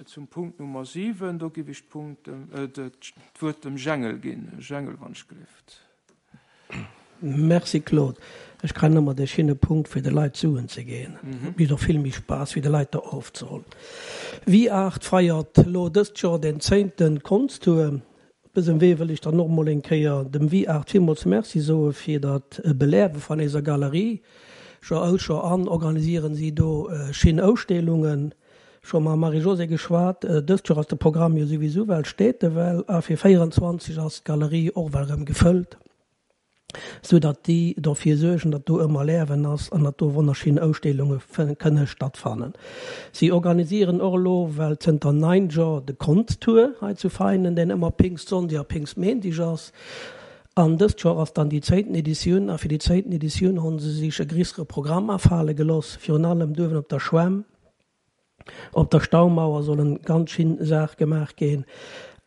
Zum Punkt Nummer 7, do giff ech d'Punkt dem, d'Wuert dem Jengel ginn. Jengel, wann ech gelift. Merci Claude. Ech kreien ëmmer dee schinne Punkt fir de Leit Suen ze ginn. Et mécht och vill méi Spaass wéi de Leit der ofzehollen. Viart feiert lo dëst Joer den zéinten Konschttour. Op dësem Wee wëll ech dann och mol eng Kéier dem Viart villmools Merci soe fir dat Beläwe van eiser Galerie. Joer aus Joer an organisieren si do schin Ausstellungen. Scho mam Marie-Josée geschwat, dëst Joer ass de Programm jo souwisou well steet e well a fir 24 ass d'Galerie och well erëm gefëllt, sou datt déi dofir suergen, datt do ëmmer Lärwen ass an datt do wonnerschinn Ausstellunge kënne stattfannen. Si organisieren och elo well zënter 9 Jor de Konschttour hei zu Veinen, deen ëmmer Pingstsonndeg a Pingstsméindeg ass. An dëst Joer ass dann déi zéinten Editioun a fir déi zéinten Editioun hu se sich e grissere Programm afale geloss, virun allem duewen op der Schwämm. Op der Staumauer soll en ganz schin Saach gemaach gin.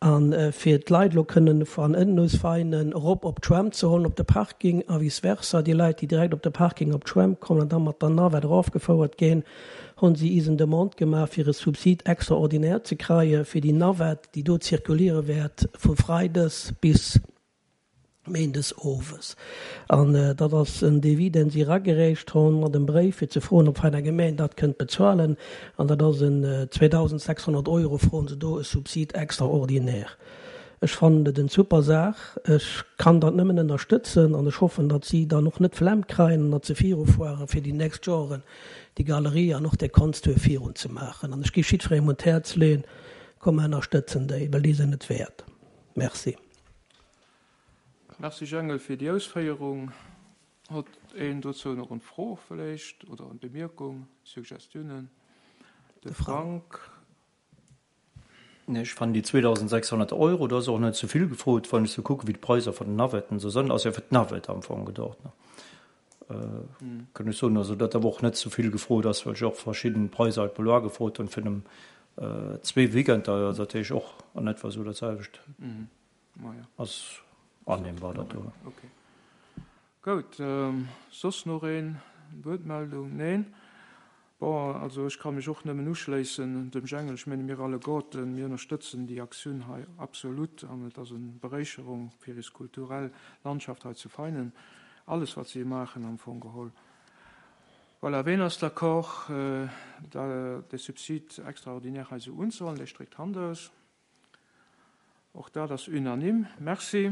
An fir d'Leit elo kënnen van ënnen aus Veinen erop op d'Schwämm ze hollen op de Parking a vice versa, déi Leit déi direkt op de Parking op d'Schwämm kommen an da mat der Navette erofgefouert gin, hunn si is en Demande gemaach fir e Subside extraordinaire ze kreien fir déi Navette déi do zirkuliere wäert vu Freides bis Méindes owes. An dat ass en Devis, deen si eragereecht hunn mat em Bréif, fir ze froen, ob Veiner Gemeng dat kënnt bezuelen. An dat ass en 2.600 Euro, froen se do e Subside extraordinaire. Ech fannen et en super Saach. Ech kann dat nëmmen ënnerstëtzen an ech hoffen, datt si dann och net d'Flemm kreien an datt se virufueren, fir déi nächst Joren déi Galerie an och dee Konschttour virunzemaachen. An ech géif jiddwerengem un d'Häerz leeën, Komm mer ënnerstëtzen déi, well déi sinn et wäert. Merci. Merci Jengel fir déi Ausféierung. Hott een dozou nach en Fro vläicht oder en Bemierkung, Suggestiounen? De Frank. Nee, ech fannen déi 2.600 Euro, dat ass och net ze vill gefrot, wann ech sou kucken, wéi d'Preiser vun den Navetten esou sënn. Ass jo fir d'Navette am Fong gedocht, ne? Kënnt ech soen, also datt awer och net ze vill gefrot ass, well ech och verschidden Preiser halt mol ugefrot hunn fir zwee Weekender, also dat heescht och an etwa esou dat selwecht. Ass annehmbar dat do. Ok. Goud. Soss nach een? Wuertmeldung? Neen? Bon, also ech ka mech och nëmmen uschléissen dem Jengel. Ech menge mir alleguerten, mir ënnerstëtzen déi Aktioun hei absolut an et ass eng Beréicherung fir is kulturell Landschaft hei zu Veinen, alles wat si maachen am Fong geholl. Voilà, ween ass d'accord, de Subside extraordinaire hei esou unzehuelen? Dee stréckt d'Hand aus. Och dat ass unanime. Merci.